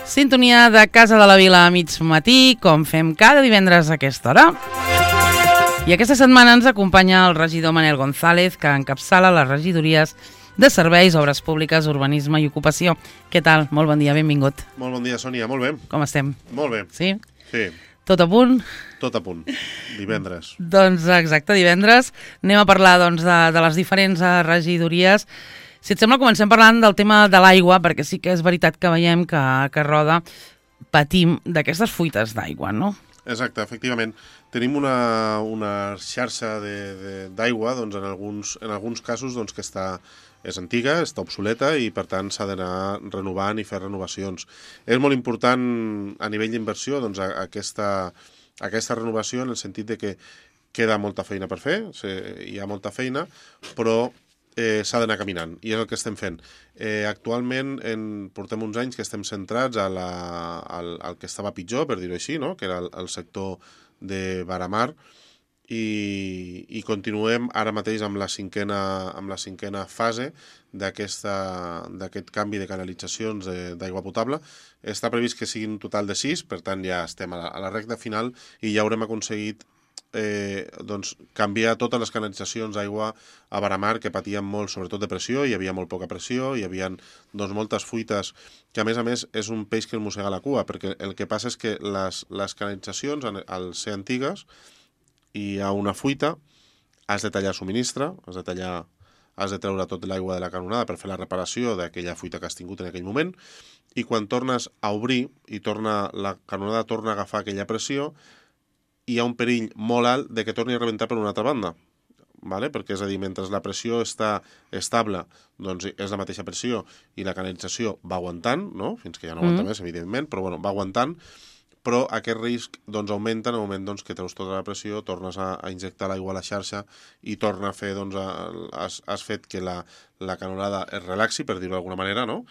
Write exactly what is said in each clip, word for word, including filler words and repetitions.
Sintonia de Casa de la Vila a mig matí, com fem cada divendres a aquesta hora. I aquesta setmana ens acompanya el regidor Manel González, que encapçala les regidories de Serveis, Obres Públiques, Urbanisme i Ocupació. Què tal? Molt bon dia, benvingut. Molt bon dia, Sònia, molt bé. Com estem? Molt bé. Sí? Sí. Tot a punt? Tot a punt. Divendres. Doncs exacte, divendres. Anem a parlar doncs, de, de les diferents regidories. Si et sembla, comencem parlant del tema de l'aigua, perquè sí que és veritat que veiem que, que Roda patim d'aquestes fuites d'aigua, no? Exacte, efectivament. Tenim una, una xarxa d'aigua doncs, en, alguns, en alguns casos doncs, que està, és antiga, està obsoleta i per tant s'ha d'anar renovant i fer renovacions. És molt important a nivell d'inversió doncs, aquesta, aquesta renovació en el sentit de que queda molta feina per fer, hi ha molta feina, però eh, s'ha d'anar caminant, i és el que estem fent. Eh, actualment en, portem uns anys que estem centrats a la, al, al que estava pitjor, per dir-ho així, no? Que era el, el sector de Varamar, i, i continuem ara mateix amb la cinquena, amb la cinquena fase d'aquest canvi de canalitzacions d'aigua potable. Està previst que siguin un total de sis, per tant ja estem a la, a la recta final i ja haurem aconseguit Eh, doncs, canviar totes les canalitzacions d'aigua a Varamar, que patien molt, sobretot de pressió, hi havia molt poca pressió, hi havia doncs, moltes fuites, que a més a més és un peix que el mossega la cua, perquè el que passa és que les, les canalitzacions, al ser antigues, hi ha una fuita, has de tallar subministre, has de tallar, has de treure tot l'aigua de la canonada per fer la reparació d'aquella fuita que has tingut en aquell moment, i quan tornes a obrir i torna, la canonada torna a agafar aquella pressió, hi ha un perill molt alt de que torni a rebentar per una altra banda, ¿vale? Perquè és a dir, mentre la pressió està estable, doncs és la mateixa pressió i la canalització va aguantant, no? Fins que ja no aguanta mm. més, evidentment, però bueno, va aguantant, però aquest risc doncs, augmenta en el moment doncs, que treus tota la pressió, tornes a, a injectar l'aigua a la xarxa i torna a fer, doncs, a, has, has fet que la, la canonada es relaxi, per dir-ho d'alguna manera, no?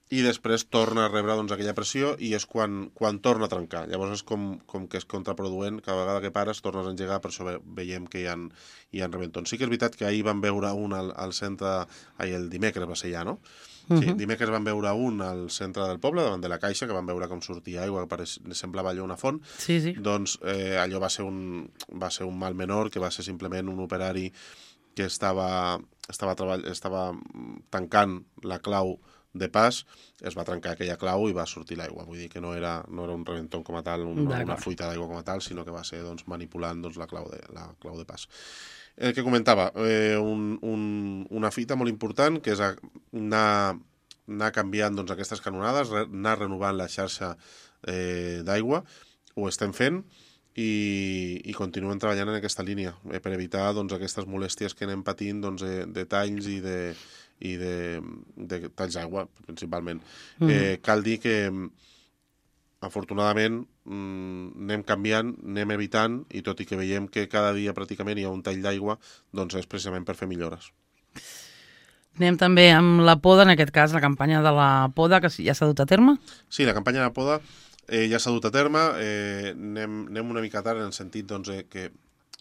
I després torna a rebre doncs, aquella pressió i és quan, quan torna a trencar. Llavors és com, com que és contraproduent, cada vegada que pares tornes a engegar, per això ve, veiem que hi ha, hi ha reventons. Sí que és veritat que ahir vam veure un al, al centre, ai, el dimecres va ser ja, no? Sí, uh-huh. Dimecres vam veure un al centre del poble, davant de la caixa, que vam veure com sortia aigua, que pareix, semblava allò una font. Sí, sí. Doncs eh, allò va ser, un, va ser un mal menor, que va ser simplement un operari que estava, estava, treball, estava tancant la clau de pas, es va trencar aquella clau i va sortir l'aigua. Vull dir que no era, no era un reventón com a tal, un, una fuita d'aigua com a tal, sinó que va ser doncs, manipulant doncs, la, clau de, la clau de pas. El que comentava, eh, un, un, una fita molt important, que és anar, anar canviant doncs, aquestes canonades, anar renovant la xarxa eh, d'aigua, ho estem fent, i, i continuem treballant en aquesta línia, eh, per evitar doncs, aquestes molèsties que anem patint doncs, de, de talls i de i de, de talls d'aigua, principalment. Mm. Eh, cal dir que, afortunadament, anem canviant, anem evitant, i tot i que veiem que cada dia pràcticament hi ha un tall d'aigua, doncs és precisament per fer millores. Anem també amb la poda, en aquest cas, la campanya de la poda, que ja s'ha dut a terme? Sí, la campanya de la poda eh, ja s'ha dut a terme. Eh, anem, anem una mica tard en el sentit doncs, eh, que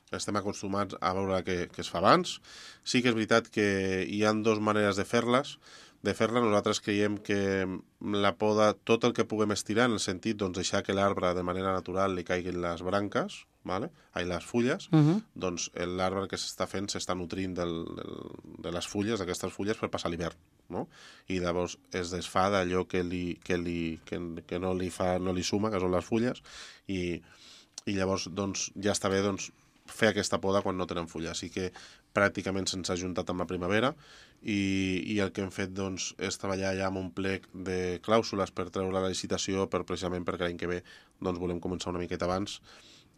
estem acostumats a veure que, que es fa abans. Sí que és veritat que hi ha dues maneres de fer-les. De fer-la, nosaltres creiem que la poda, tot el que puguem estirar, en el sentit doncs, deixar que l'arbre de manera natural li caiguin les branques, vale? Ai, les fulles, uh-huh. doncs l'arbre que s'està fent s'està nutrint del, del, de les fulles, d'aquestes fulles, per passar l'hivern, no? I llavors es desfà d'allò que, li, que, li, que, que no, li fa, no li suma, que són les fulles, i, i llavors doncs, ja està bé doncs, fer aquesta poda quan no tenen fulles. Així que pràcticament se'ns ha juntat amb la primavera i, i el que hem fet doncs, és treballar ja amb un plec de clàusules per treure la licitació per, precisament perquè l'any que ve doncs, volem començar una miqueta abans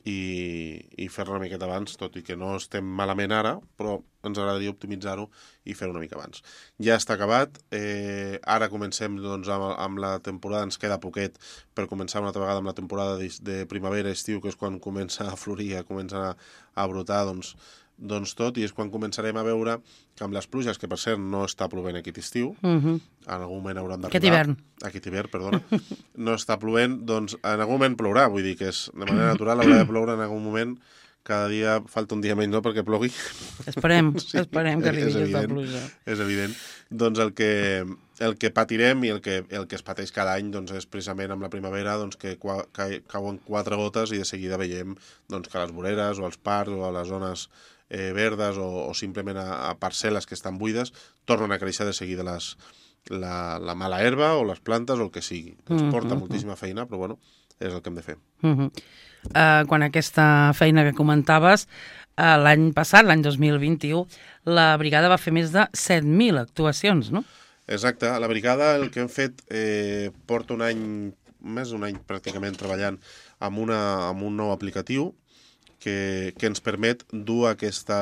i, i fer-la una miqueta abans, tot i que no estem malament ara, però ens agradaria optimitzar-ho i fer-ho una mica abans. Ja està acabat, eh, ara comencem doncs, amb, amb la temporada, ens queda poquet per començar una altra vegada amb la temporada de, de primavera-estiu, que és quan comença a florir, comença a, a brotar, doncs, doncs tot, i és quan començarem a veure que amb les pluges, que per cert no està plovent aquest estiu, uh-huh. en algun moment hauran d'arribar... Aquest hivern. Aquest hivern, perdona. No està plovent, doncs en algun moment plourà, vull dir que és, de manera natural haurà de ploure en algun moment cada dia falta un dia menys, no?, perquè plogui. Esperem, sí, esperem que arribi aquesta pluja. És evident. Doncs el que, el que patirem i el que, el que es pateix cada any doncs, és precisament amb la primavera doncs, que cua, cauen quatre gotes i de seguida veiem doncs, que a les voreres o als parcs o a les zones eh, verdes o, o simplement a, a parcel·les que estan buides tornen a créixer de seguida les, la, la mala herba o les plantes o el que sigui. Ens porta mm-hmm. moltíssima feina, però bueno, és el que hem de fer. Mm-hmm. uh, quan aquesta feina que comentaves, uh, l'any passat, l'any dos mil vint-i-u, la brigada va fer més de set mil actuacions, no? Exacte. La brigada el que hem fet eh, porta un any, més d'un any pràcticament treballant amb, una, amb un nou aplicatiu que, que ens permet dur aquesta,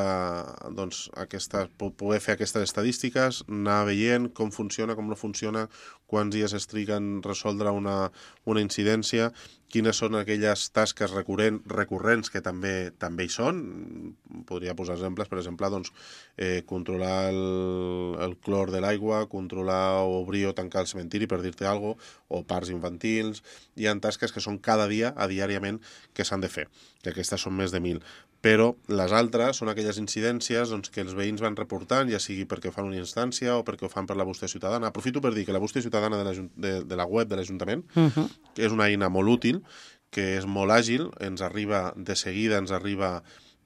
doncs, aquesta, poder fer aquestes estadístiques, anar veient com funciona, com no funciona, quants dies es triguen resoldre una, una incidència, quines són aquelles tasques recurrent, recurrents que també també hi són. Podria posar exemples, per exemple, doncs, eh, controlar el, el clor de l'aigua, controlar o obrir o tancar el cementiri, per dir-te alguna cosa, o parcs infantils. Hi ha tasques que són cada dia, a diàriament, que s'han de fer, que aquestes són més de mil. Però les altres són aquelles incidències doncs, que els veïns van reportant, ja sigui perquè ho fan una instància o perquè ho fan per la bústia ciutadana. Aprofito per dir que la bústia ciutadana de la, de, de la web de l'Ajuntament uh-huh. és una eina molt útil, que és molt àgil, ens arriba de seguida, ens arriba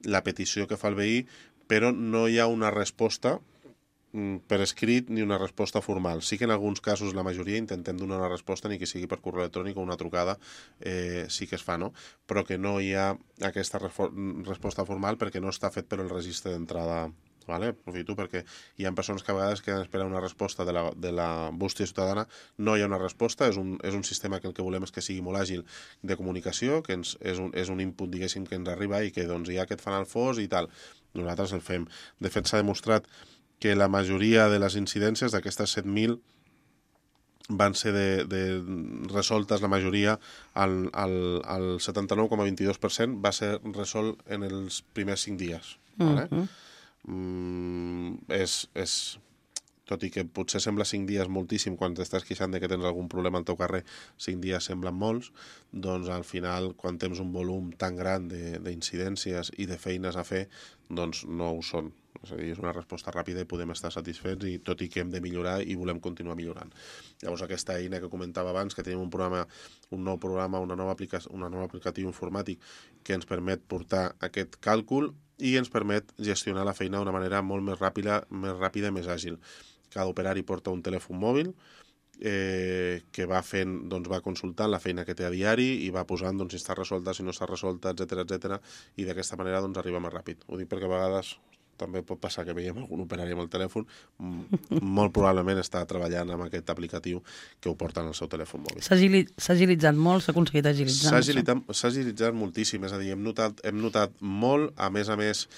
la petició que fa el veí, però no hi ha una resposta per escrit ni una resposta formal. Sí que en alguns casos, la majoria, intentem donar una resposta, ni que sigui per correu electrònic o una trucada, eh, sí que es fa, no? Però que no hi ha aquesta resposta formal perquè no està fet per el registre d'entrada. Vale? Aprofito perquè hi ha persones que a vegades que esperen una resposta de la, de la bústia ciutadana. No hi ha una resposta, és un, és un sistema que el que volem és que sigui molt àgil de comunicació, que ens, és, un, és un input, diguéssim, que ens arriba i que doncs, hi ha aquest fanal fos i tal. Nosaltres el fem. De fet, s'ha demostrat que la majoria de les incidències d'aquestes set mil van ser de, de resoltes, la majoria, al, al, al setanta-nou coma vint-i-dos per cent va ser resolt en els primers cinc dies. Vale? Uh-huh. Mm, és, és, tot i que potser sembla cinc dies moltíssim quan t'estàs queixant de que tens algun problema al teu carrer, cinc dies semblen molts, doncs al final, quan tens un volum tan gran d'incidències i de feines a fer, doncs no ho són. És a dir, és una resposta ràpida i podem estar satisfets, i tot i que hem de millorar i volem continuar millorant. Llavors, aquesta eina que comentava abans, que tenim un programa, un nou programa, una nova aplicació, una nova aplicatiu informàtic que ens permet portar aquest càlcul i ens permet gestionar la feina d'una manera molt més ràpida, més ràpida i més àgil. Cada operari porta un telèfon mòbil eh, que va fent, doncs va consultant la feina que té a diari i va posant doncs, si està resolta, si no està resolta, etcètera, etcètera, i d'aquesta manera doncs, arriba més ràpid. Ho dic perquè a vegades també pot passar que veiem algun operari amb el telèfon, molt probablement està treballant amb aquest aplicatiu que ho porta en el seu telèfon mòbil. S'ha agilitzat molt? S'ha aconseguit agilitzar? S'ha agilitzat, s'ha agilitzat moltíssim, és a dir, hem notat, hem notat molt, a més a més,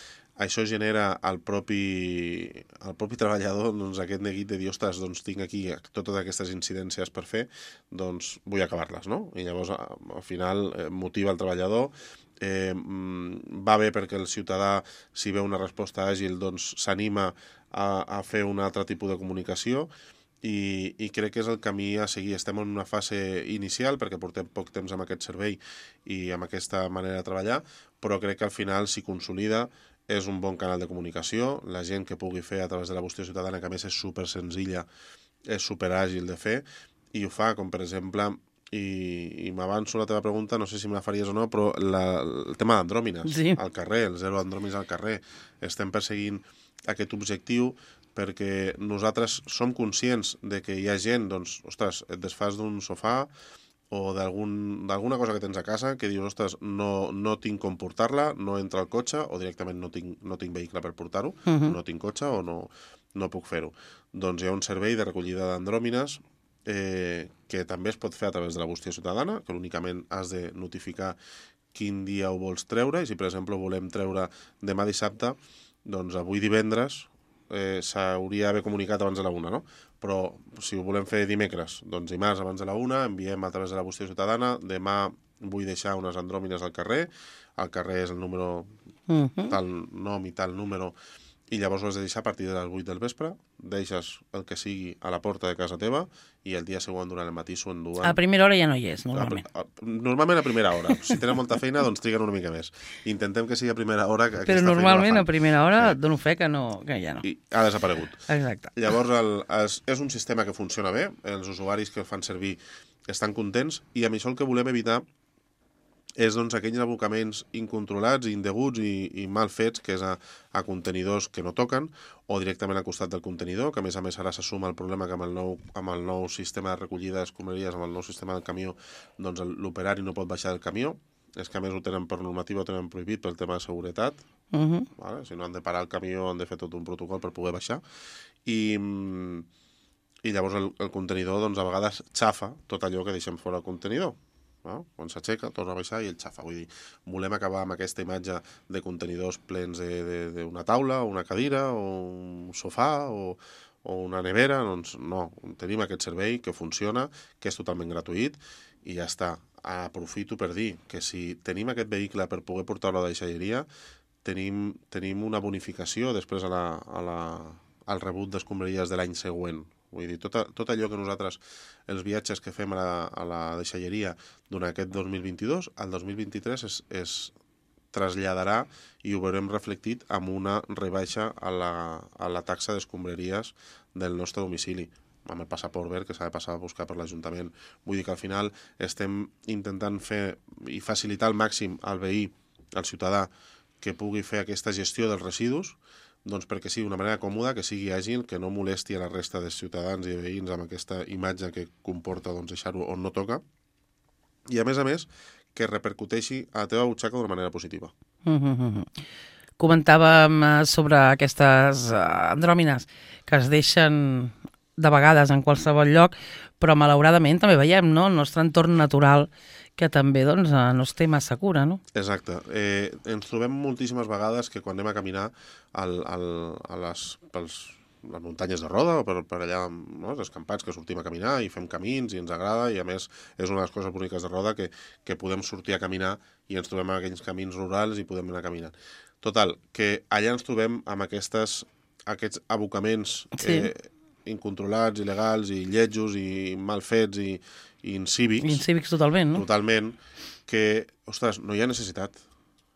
això genera al propi, al propi treballador doncs, aquest neguit de dir, ostres, doncs tinc aquí totes aquestes incidències per fer, doncs vull acabar-les, no? I llavors, al final, motiva el treballador. Eh, va bé perquè el ciutadà, si veu una resposta àgil, doncs s'anima a, a fer un altre tipus de comunicació i, i crec que és el camí a seguir. Estem en una fase inicial perquè portem poc temps amb aquest servei i amb aquesta manera de treballar, però crec que al final s'hi consolida, és un bon canal de comunicació, la gent que pugui fer a través de la bústia ciutadana, que a més és super senzilla, és super àgil de fer, i ho fa, com per exemple, i, i m'avanço la teva pregunta, no sé si me la faries o no, però la, el tema d'andròmines sí. al carrer, el zero andròmines al carrer. Estem perseguint aquest objectiu perquè nosaltres som conscients de que hi ha gent, doncs, ostres, et desfas d'un sofà o d'alguna cosa que tens a casa que dius, ostres, no, no tinc com portar-la, no entra al cotxe, o directament no tinc, no tinc vehicle per portar-ho, uh-huh. no tinc cotxe o no, no puc fer-ho. Doncs hi ha un servei de recollida d'andròmines Eh, que també es pot fer a través de la bústia ciutadana, que únicament has de notificar quin dia ho vols treure, i si per exemple ho volem treure demà dissabte, doncs avui divendres eh, s'hauria d'haver comunicat abans de la una, no? Però si ho volem fer dimecres, doncs dimarts abans de la una, enviem a través de la bústia ciutadana, demà vull deixar unes andròmines al carrer, el carrer és el número, uh-huh. tal nom i tal número, i llavors ho has de deixar a partir de les vuit del vespre, deixes el que sigui a la porta de casa teva i el dia següent durant el matí s'ho enduen. A primera hora ja no hi és, normalment. A, a, normalment a primera hora. Si tenen molta feina, doncs triguen una mica més. Intentem que sigui a primera hora que Però aquesta normalment feina la a primera hora et dono fe que, no, que ja no. I ha desaparegut. Exacte. Llavors el, és, és un sistema que funciona bé, els usuaris que el fan servir estan contents i amb això el que volem evitar és doncs, aquells abocaments incontrolats, indeguts i, i mal fets, que és a, a contenidors que no toquen o directament al costat del contenidor, que a més a més ara s'assuma el problema que amb el nou, amb el nou sistema de recollida d'escombraries, amb el nou sistema del camió, doncs l'operari no pot baixar del camió. És que a més ho tenen per normativa, ho tenen prohibit pel tema de seguretat. Uh -huh. Vale? Si no han de parar el camió, han de fer tot un protocol per poder baixar. I, i llavors el, el contenidor doncs, a vegades xafa tot allò que deixem fora del contenidor. No? Quan s'aixeca, torna a baixar i el xafa. Vull dir, volem acabar amb aquesta imatge de contenidors plens d'una taula, o una cadira, o un sofà, o, o una nevera. Doncs no, tenim aquest servei que funciona, que és totalment gratuït, i ja està. Aprofito per dir que si tenim aquest vehicle per poder portar-lo a la deixalleria, tenim, tenim una bonificació després a la, a la, al rebut d'escombraries de l'any següent. Vull dir, tot, tot allò que nosaltres, els viatges que fem a la, a la deixalleria durant aquest dos mil vint-i-dos, al dos mil vint-i-tres es, es traslladarà i ho veurem reflectit amb una rebaixa a la, a la taxa d'escombraries del nostre domicili, amb el passaport verd que s'ha de passar a buscar per l'Ajuntament. Vull dir que al final estem intentant fer i facilitar al màxim al veí, al ciutadà, que pugui fer aquesta gestió dels residus, doncs perquè sigui d'una manera còmoda, que sigui àgil, que no molesti a la resta de ciutadans i de veïns amb aquesta imatge que comporta doncs, deixar-ho on no toca, i a més a més que repercuteixi a la teva butxaca d'una manera positiva. Uh -huh. Comentàvem sobre aquestes andròmines que es deixen de vegades en qualsevol lloc, però malauradament també veiem, no?, el nostre entorn natural que també doncs, no es té massa cura, no? Exacte. Eh, ens trobem moltíssimes vegades que quan anem a caminar al, al, a les, pels, les muntanyes de Roda o per, per allà, no, els escampats que sortim a caminar i fem camins i ens agrada, i a més és una de les coses boniques de Roda que, que podem sortir a caminar i ens trobem en aquells camins rurals i podem anar caminant. Total, que allà ens trobem amb aquestes, aquests abocaments sí. eh, incontrolats, il·legals i lletjos i mal fets i, i incívics. Incívics totalment, no? Totalment, que, ostres, no hi ha necessitat.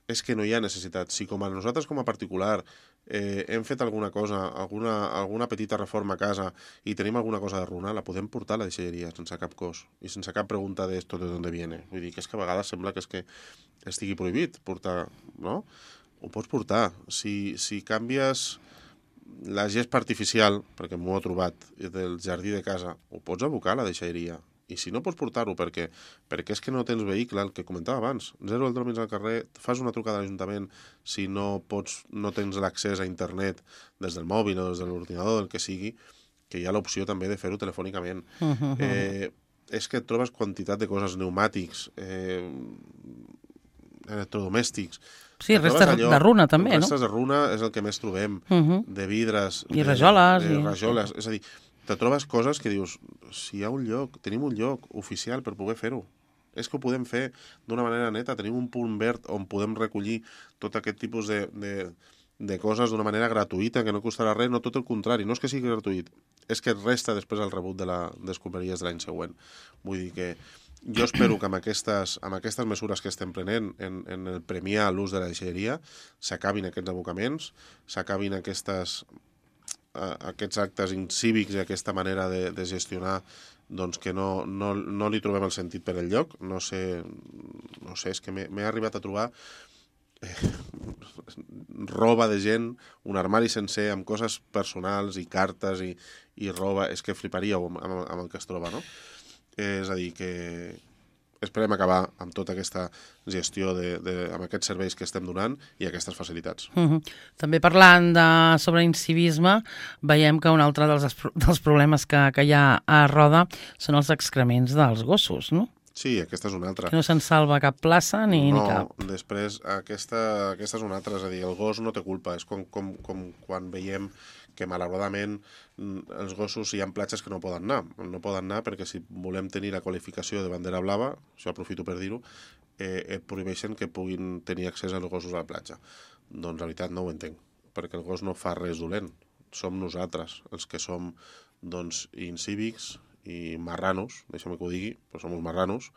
És que no hi ha necessitat. Si com a nosaltres com a particular eh, hem fet alguna cosa, alguna, alguna petita reforma a casa i tenim alguna cosa de runa, la podem portar a la deixalleria sense cap cost i sense cap pregunta d'esto de d'on viene. Vull dir que és que a vegades sembla que és que estigui prohibit portar, no? Ho pots portar. Si, si canvies la gespa artificial, perquè m'ho he trobat, del jardí de casa, ho pots abocar a la deixalleria. I si no pots portar-ho perquè, perquè és que no tens vehicle, el que comentava abans, zero aldròmins al carrer, fas una trucada a l'Ajuntament si no pots, no tens l'accés a internet des del mòbil o des de l'ordinador, del que sigui, que hi ha l'opció també de fer-ho telefònicament. Uh -huh. eh, és que et trobes quantitat de coses, pneumàtics, eh, electrodomèstics. Sí, restes allò, de runa també, restes no? Restes de runa és el que més trobem, uh -huh. de vidres... I rajoles. De, de i... rajoles, és a dir, te trobes coses que dius, si hi ha un lloc, tenim un lloc oficial per poder fer-ho. És que ho podem fer d'una manera neta, tenim un punt verd on podem recollir tot aquest tipus de, de, de coses d'una manera gratuïta, que no costarà res, no tot el contrari, no és que sigui gratuït, és que resta després el rebut de l'escombraries de l'any següent. Vull dir que jo espero que amb aquestes, amb aquestes mesures que estem prenent en, en el premiar l'ús de la deixalleria s'acabin aquests abocaments, s'acabin aquestes... aquests actes incívics i aquesta manera de, de gestionar doncs que no, no, no li trobem el sentit per el lloc. No sé, no sé, és que m'he arribat a trobar eh, roba de gent, un armari sencer amb coses personals i cartes i, i roba, és que fliparíeu amb, amb, amb el que es troba, no? Eh, és a dir, que esperem acabar amb tota aquesta gestió de, de, amb aquests serveis que estem donant i aquestes facilitats. Uh -huh. També parlant de, sobre incivisme, veiem que un altre dels, dels problemes que, que hi ha a Roda són els excrements dels gossos, no? Sí, aquesta és una altra. Que no se'n salva cap plaça ni, no, ni cap. No, després aquesta, aquesta és una altra, és a dir, el gos no té culpa, és com, com, com quan veiem que malauradament els gossos hi ha platges que no poden anar. No poden anar perquè si volem tenir la qualificació de bandera blava, això aprofito per dir-ho, eh, et prohibeixen que puguin tenir accés als gossos a la platja. Doncs la veritat no ho entenc, perquè el gos no fa res dolent. Som nosaltres els que som doncs, incívics i marranos, deixa'm que ho digui, però som uns marranos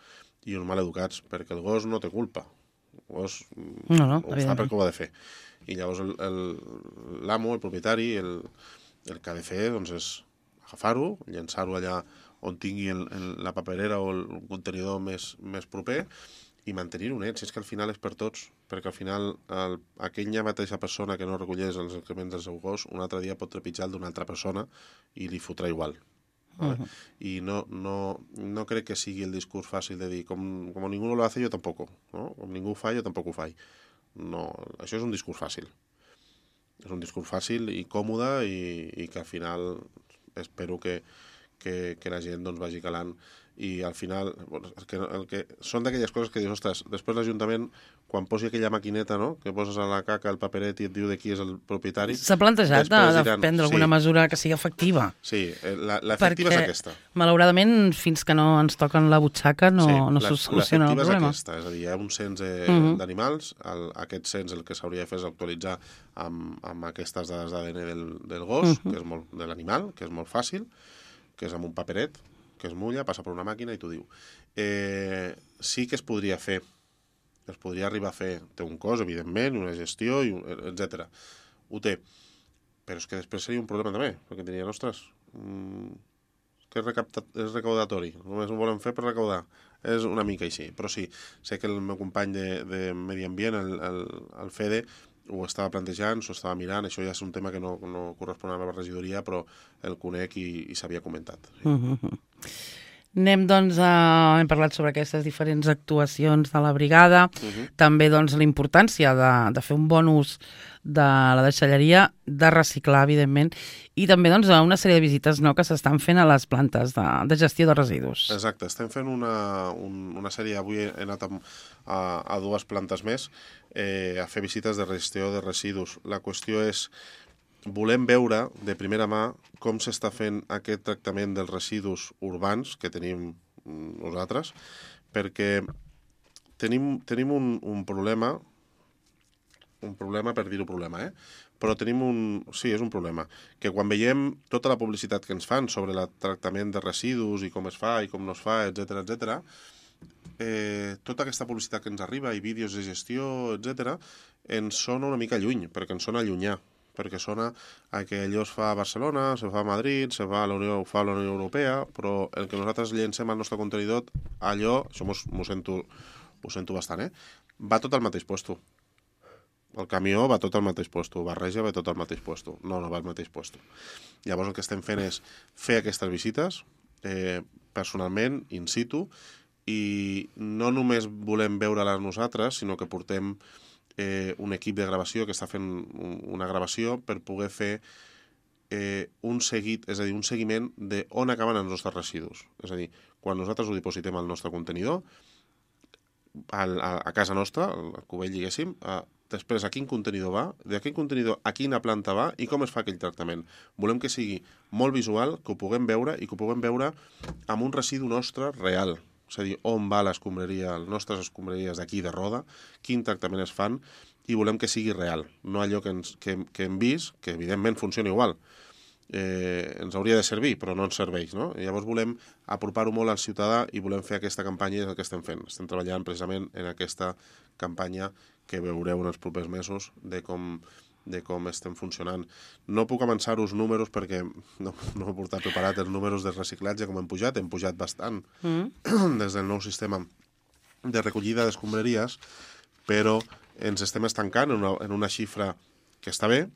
i uns maleducats, perquè el gos no té culpa. El gos no, no, ho fa perquè ho ha de fer. I llavors l'amo, el, el propietari, el, el que ha de fer doncs, és agafar-ho, llançar-ho allà on tingui el, el, la paperera o el contenidor més, més proper i mantenir-ho net, si és que al final és per tots, perquè al final el, aquella mateixa persona que no recollés els excrements del seu gos un altre dia pot trepitjar el d'una altra persona i li fotrà igual. ¿Vale? Uh -huh. I no, no, no crec que sigui el discurs fàcil de dir com, com ningú no lo hace, jo tampoc, no? Com ningú ho fa, jo tampoc ho faig. No, això és un discurs fàcil. És un discurs fàcil i còmode i, i que al final espero que, que, que la gent doncs, vagi calant i al final bueno, el que, el que, són d'aquelles coses que dius, ostres, després l'Ajuntament quan posi aquella maquineta, no?, que poses a la caca el paperet i et diu de qui és el propietari... S'ha plantejat de, de diran, prendre alguna sí, mesura que sigui efectiva. Sí, l'efectiva és aquesta. Malauradament, fins que no ens toquen la butxaca no, sí, no se soluciona el problema. L'efectiva és aquesta, és a dir, hi ha un cens eh, uh -huh. d'animals, el, aquest cens el que s'hauria de fer és actualitzar amb, amb aquestes dades d'A D N del, del gos, uh -huh. que és molt, de l'animal, que és molt fàcil, que és amb un paperet, que es mulla, passa per una màquina i t'ho diu. Eh, sí que es podria fer, es podria arribar a fer, té un cost, evidentment, una gestió, etcètera. Ho té. Però és que després seria un problema també, perquè diria, ostres, mmm, que és, recaptat, és recaudatori, només ho volen fer per recaudar. És una mica així, però sí, sé que el meu company de, de Medi Ambient, el, el, el Fede, ho estava plantejant, s'ho estava mirant, això ja és un tema que no, no correspon a la regidoria, però el conec i, i s'havia comentat. Sí. Uh -huh. Anem, doncs, a... hem parlat sobre aquestes diferents actuacions de la brigada, uh -huh. també, doncs, la importància de, de fer un bon ús de la deixalleria, de reciclar, evidentment, i també, doncs, una sèrie de visites no, que s'estan fent a les plantes de, de gestió de residus. Exacte, estem fent una, un, una sèrie, avui he anat a, a, a dues plantes més, eh, a fer visites de gestió de residus. La qüestió és, volem veure de primera mà com s'està fent aquest tractament dels residus urbans que tenim nosaltres, perquè tenim, tenim un, un problema, un problema per dir-ho problema, eh? Però tenim un... Sí, és un problema. Que quan veiem tota la publicitat que ens fan sobre el tractament de residus i com es fa i com no es fa, etcètera, etcètera, eh, tota aquesta publicitat que ens arriba i vídeos de gestió, etcètera, ens sona una mica lluny, perquè ens sona llunyà, perquè sona a que allò es fa a Barcelona, se fa a Madrid, se fa a la Unió, ho fa a la Unió Europea, però el que nosaltres llencem al nostre contenidor, allò, això m'ho sento, ho sento bastant, eh? Va tot al mateix puesto. El camió va tot al mateix puesto, barreja va tot al mateix puesto. No, no va al mateix puesto. Llavors el que estem fent és fer aquestes visites eh, personalment, in situ, i no només volem veure-les nosaltres, sinó que portem eh, un equip de gravació que està fent una gravació per poder fer eh, un seguit, és a dir, un seguiment de on acaben els nostres residus. És a dir, quan nosaltres ho dipositem al nostre contenidor, a, a, a casa nostra, al cubell, diguéssim, a, després a quin contenidor va, de quin contenidor a quina planta va i com es fa aquell tractament. Volem que sigui molt visual, que ho puguem veure i que ho puguem veure amb un residu nostre real. És a dir, on va l'escombraria, les nostres escombraries d'aquí de Roda, quin tractament es fan, i volem que sigui real, no allò que, ens, que, que hem vist, que evidentment funciona igual. Eh, ens hauria de servir, però no ens serveix, no? I llavors volem apropar-ho molt al ciutadà i volem fer aquesta campanya, i és el que estem fent. Estem treballant precisament en aquesta campanya que veureu en els propers mesos de com, de com estem funcionant. No puc avançar-vos números perquè no, no he portat preparat els números de reciclatge com hem pujat, hem pujat bastant mm. des del nou sistema de recollida d'escombraries, però ens estem estancant en una, en una xifra que està bé,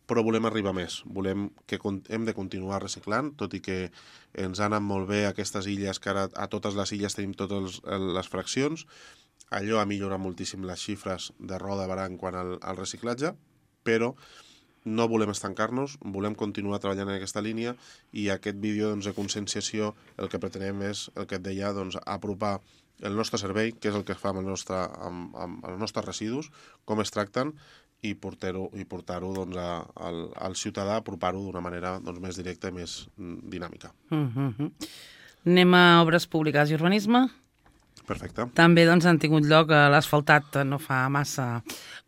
però volem arribar més. Volem que hem de continuar reciclant, tot i que ens han anat molt bé aquestes illes, que ara a totes les illes tenim totes les fraccions. Allò ha millorat moltíssim les xifres de Roda de Barà quant al, al reciclatge, però no volem estancar-nos, volem continuar treballant en aquesta línia i aquest vídeo doncs, de conscienciació el que pretenem és, el que et deia, doncs, apropar el nostre servei, que és el que fa amb, el nostre, amb, amb els nostres residus, com es tracten, i portar-ho i portar-ho doncs, a, al, al ciutadà, apropar-ho d'una manera doncs, més directa i més dinàmica. Uh-huh. Anem a obres públiques i urbanisme? Perfecte. També doncs, han tingut lloc a l'asfaltat no fa massa,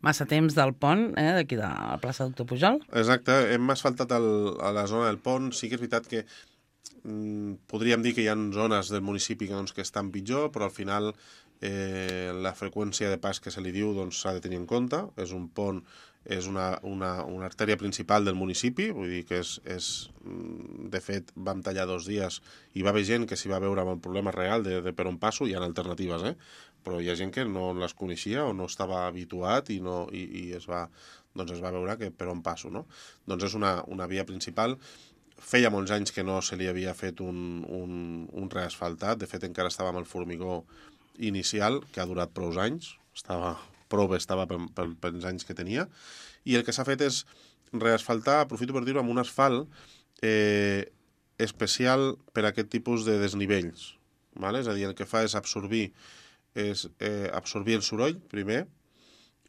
massa temps del pont, eh, d'aquí de la plaça Doctor Pujol. Exacte, hem asfaltat el, a la zona del pont. Sí que és veritat que mm, podríem dir que hi ha zones del municipi que, doncs, que estan pitjor, però al final eh, la freqüència de pas que se li diu s'ha doncs, de tenir en compte. És un pont, és una, una, una artèria principal del municipi, vull dir que és, és... De fet, vam tallar dos dies i va haver gent que s'hi va veure amb el problema real de, de per on passo. Hi ha alternatives, eh? Però hi ha gent que no les coneixia o no estava habituat i, no, i, i es, va, doncs es va veure que per on passo, no? Doncs és una, una via principal. Feia molts anys que no se li havia fet un, un, un reasfaltat. De fet, encara estava amb el formigó inicial, que ha durat prou anys. Estava, prou bé estava per, per, per els anys que tenia. I el que s'ha fet és reasfaltar, aprofito per dir-ho, amb un asfalt eh, especial per a aquest tipus de desnivells. Vale? És a dir, el que fa és absorbir, és, eh, absorbir el soroll, primer,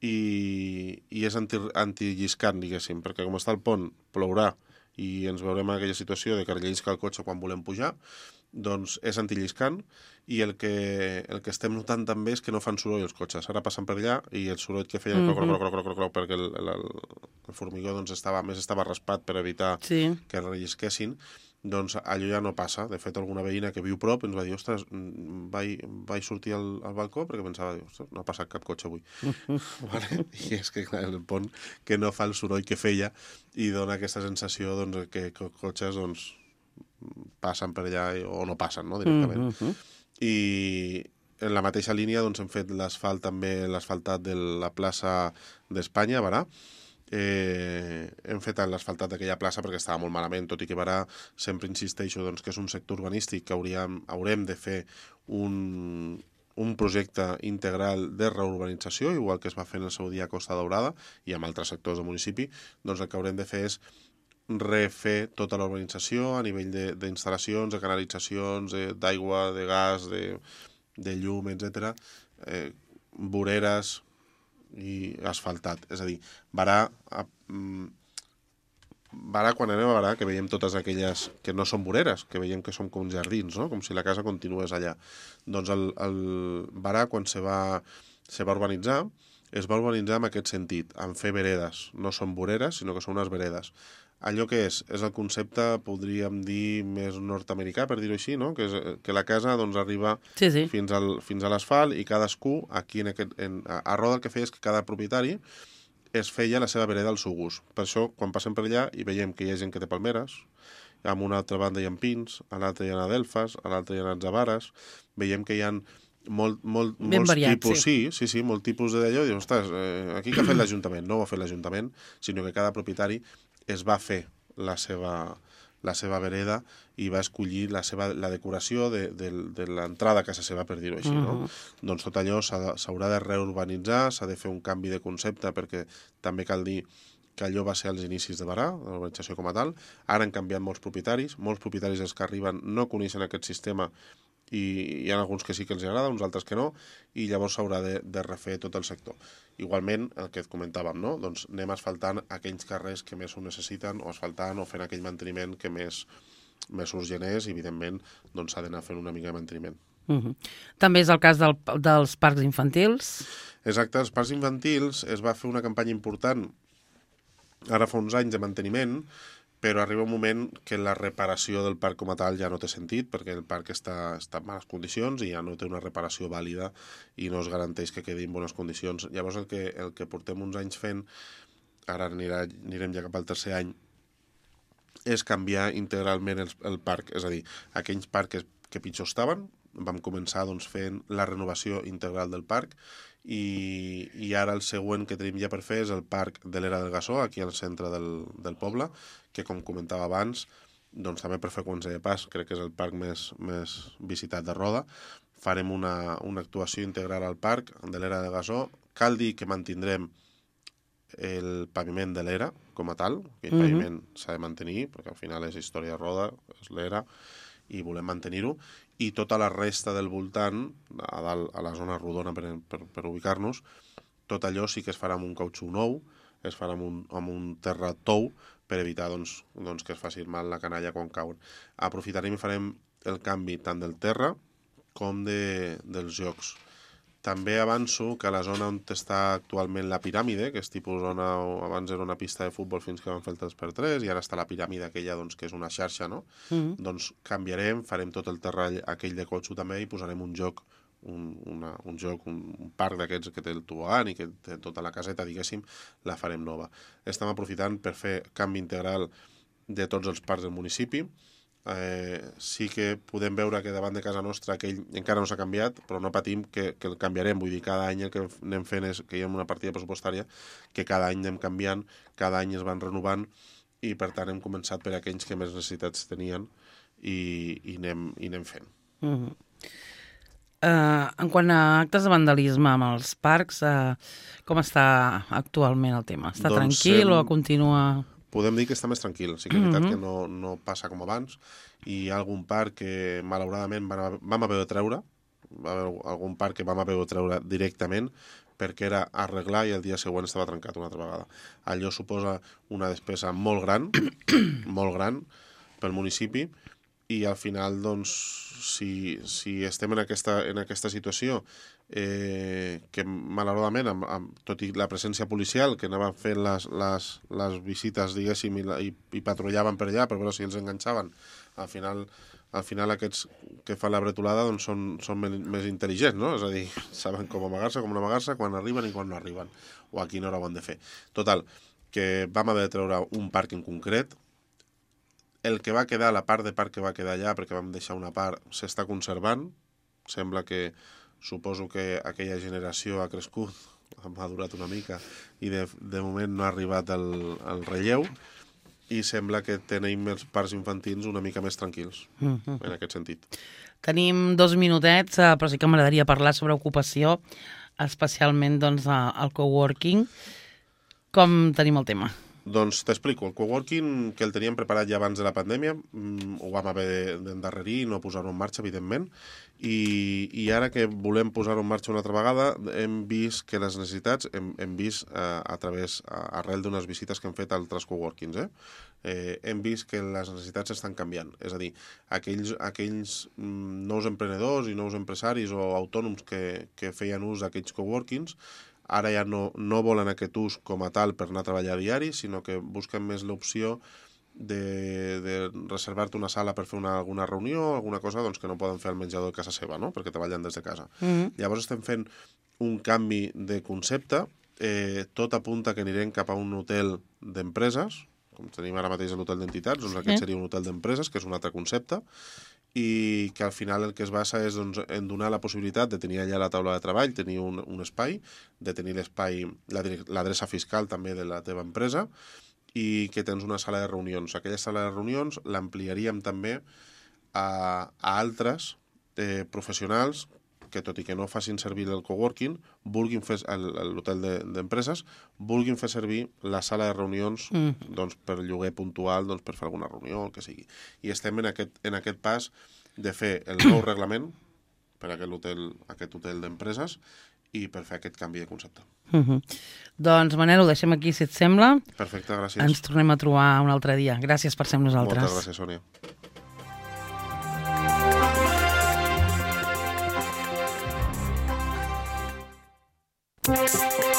i, i és anti, antilliscant, diguéssim, perquè com està el pont, plourà, i ens veurem en aquella situació de que rellisca el cotxe quan volem pujar, doncs és antilliscant, i el que, el que estem notant també és que no fan soroll els cotxes. Ara passen per allà i el soroll que feien mm-hmm. croc, croc, croc, croc, croc, perquè el, el, el formigó doncs, estava, més estava raspat per evitar sí. que rellisquessin, doncs allò ja no passa. De fet, alguna veïna que viu prop ens va dir, ostres, vaig, vaig sortir al, al balcó perquè pensava, ostres, no ha passat cap cotxe avui. Vale? I és que, clar, el pont que no fa el soroll que feia i dona aquesta sensació doncs, que, que cotxes doncs, passen per allà o no passen, no, directament. Mm-hmm. I en la mateixa línia doncs, hem fet l'asfalt també, l'asfaltat de la plaça d'Espanya, a Barà. Eh, hem fet l'asfaltat d'aquella plaça perquè estava molt malament, tot i que Barà sempre insisteixo doncs, que és un sector urbanístic que hauríem, haurem de fer un, un projecte integral de reurbanització, igual que es va fer en el seu dia a Costa Daurada i amb altres sectors del municipi. Doncs el que haurem de fer és refer tota la urbanització a nivell d'instal·lacions, de, de canalitzacions, d'aigua, de, de gas, de, de llum, etcètera, eh, voreres i asfaltat. És a dir, Barà, a, Barà, quan anem a Barà, que veiem totes aquelles que no són voreres, que veiem que són com jardins, no? Com si la casa continués allà. Doncs el, el Barà, quan se va, se va urbanitzar, es va urbanitzar en aquest sentit, en fer veredes. No són voreres, sinó que són unes veredes. Allò que és, és el concepte, podríem dir, més nord-americà, per dir-ho així, no? Que, és, que la casa doncs, arriba sí, sí. fins, al, fins a l'asfalt i cadascú, aquí en aquest, en, a, a Roda el que feia és que cada propietari es feia la seva vereda al seu gust. Per això, quan passem per allà i veiem que hi ha gent que té palmeres, a una altra banda hi ha pins, a l'altra hi ha adelfes, a l'altra hi ha atzabares, veiem que hi ha molt, molt, molts variat, tipus, sí. sí, sí, sí, molt tipus d'allò, i dius, ostres, eh, aquí que ha fet l'Ajuntament? No ho ha fet l'Ajuntament, sinó que cada propietari es va fer la seva, la seva vereda i va escollir la, seva, la decoració de, de, de l'entrada a casa seva, per dir-ho així. Uh-huh. No? Doncs tot allò s'haurà de reurbanitzar, s'ha de fer un canvi de concepte, perquè també cal dir que allò va ser als inicis de Barà, de l'urbanització com a tal. Ara han canviat molts propietaris, molts propietaris els que arriben no coneixen aquest sistema i hi ha alguns que sí que els agrada, uns altres que no, i llavors s'haurà de, de refer tot el sector. Igualment, el que et comentàvem, no? Doncs anem asfaltant aquells carrers que més ho necessiten, o asfaltant o fent aquell manteniment que més, més urgent és, i evidentment doncs, s'ha d'anar fent una mica de manteniment. Uh-huh. També és el cas del, dels parcs infantils? Exacte, els parcs infantils es va fer una campanya important ara fa uns anys de manteniment, però arriba un moment que la reparació del parc com a tal ja no té sentit, perquè el parc està, està en males condicions i ja no té una reparació vàlida i no es garanteix que quedi en bones condicions. Llavors el que, el que portem uns anys fent, ara anirà, anirem ja cap al tercer any, és canviar integralment el, el parc, és a dir, aquells parcs que pitjor estaven, vam començar doncs, fent la renovació integral del parc, i, i ara el següent que tenim ja per fer és el parc de l'Era del Gassó, aquí al centre del, del poble, que com comentava abans, doncs també per freqüència de pas, crec que és el parc més, més visitat de Roda. Farem una, una actuació integral al parc de l'Era del Gassó. Cal dir que mantindrem el paviment de l'Era com a tal, aquell mm-hmm. paviment s'ha de mantenir, perquè al final és història de Roda, és l'Era, i volem mantenir-ho, i tota la resta del voltant, a dalt, a la zona rodona per, per, per ubicar-nos, tot allò sí que es farà amb un cautxú nou, es farà amb un, amb un terra tou, per evitar doncs, doncs, que es faci mal la canalla quan cauen. Aprofitarem i farem el canvi tant del terra com de, dels jocs. També avanço que a la zona on està actualment la piràmide, que és tipus zona, abans era una pista de futbol fins que van fer el tres per tres, i ara està la piràmide aquella, doncs, que és una xarxa, no? Mm-hmm. Doncs canviarem, farem tot el terreny aquell de cotxo també i posarem un joc, un, una, un joc, un, un parc d'aquests que té el tobogan i que té tota la caseta, diguéssim, la farem nova. Estem aprofitant per fer canvi integral de tots els parcs del municipi. Eh, sí que podem veure que davant de casa nostra aquell encara no s'ha canviat, però no patim que, que el canviarem. Vull dir, cada any el que anem fent és que hi ha una partida pressupostària que cada any anem canviant, cada any es van renovant i per tant hem començat per aquells que més necessitats tenien i, i, anem, i anem fent. Mm-hmm. Uh, en quant a actes de vandalisme amb els parcs, uh, com està actualment el tema? Està doncs tranquil hem... o continua... Podem dir que està més tranquil. Sí que és veritat mm-hmm. que no, no passa com abans i hi ha algun parc que malauradament vam, vam haver de treure, va haver algun parc que vam haver de treure directament perquè era arreglar i el dia següent estava trencat una altra vegada. Allò suposa una despesa molt gran, molt gran pel municipi i al final, doncs, si, si estem en aquesta, en aquesta situació eh, que malauradament, amb, amb, tot i la presència policial, que anaven fent les, les, les visites, diguéssim, i, i, i patrullaven per allà per veure si els enganxaven, al final, al final aquests que fan la bretolada doncs són, són més intel·ligents, no? És a dir, saben com amagar-se, com no amagar-se, quan arriben i quan no arriben, o a quina hora ho han de fer. Total, que vam haver de treure un parc en concret. El que va quedar, la part de parc que va quedar allà, perquè vam deixar una part, s'està conservant. Sembla que, suposo que aquella generació ha crescut, ha madurat una mica, i de, de moment no ha arribat el, el relleu, i sembla que tenim els parcs infantils una mica més tranquils, mm-hmm. en aquest sentit. Tenim dos minutets, però sí que m'agradaria parlar sobre ocupació, especialment doncs, el coworking. Com tenim el tema? Doncs t'explico. El coworking, que el teníem preparat ja abans de la pandèmia, ho vam haver d'endarrerir i no posar-ho en marxa, evidentment, i, i ara que volem posar-ho en marxa una altra vegada, hem vist que les necessitats, hem, hem vist a, a través, a, arrel d'unes visites que hem fet a altres coworkings, eh? Eh, hem vist que les necessitats estan canviant. És a dir, aquells, aquells nous emprenedors i nous empresaris o autònoms que, que feien ús d'aquells coworkings ara ja no, no volen aquest ús com a tal per anar a treballar a diari, sinó que busquen més l'opció de, de reservar-te una sala per fer una, alguna reunió, alguna cosa doncs, que no poden fer al menjador de casa seva, no? Perquè treballen des de casa. Mm-hmm. Llavors estem fent un canvi de concepte, eh, tot apunta que anirem cap a un hotel d'empreses, com tenim ara mateix l'hotel d'entitats, doncs aquest seria un hotel d'empreses, que és un altre concepte, i que al final el que es basa és doncs, en donar la possibilitat de tenir allà la taula de treball, tenir un, un espai, de tenir l'espai, l'adreça fiscal també de la teva empresa i que tens una sala de reunions. Aquella sala de reunions l'ampliaríem també a, a altres eh, professionals que tot i que no facin servir el coworking, vulguin fer l'hotel d'empreses, vulguin fer servir la sala de reunions mm. doncs, per lloguer puntual, doncs, per fer alguna reunió, el que sigui. I estem en aquest, en aquest pas de fer el nou reglament per a aquest hotel, aquest hotel d'empreses i per fer aquest canvi de concepte. Mm-hmm. Doncs, Manel, ho deixem aquí, si et sembla. Perfecte, gràcies. Ens tornem a trobar un altre dia. Gràcies per ser amb nosaltres. Moltes gràcies, Sònia. Thank you.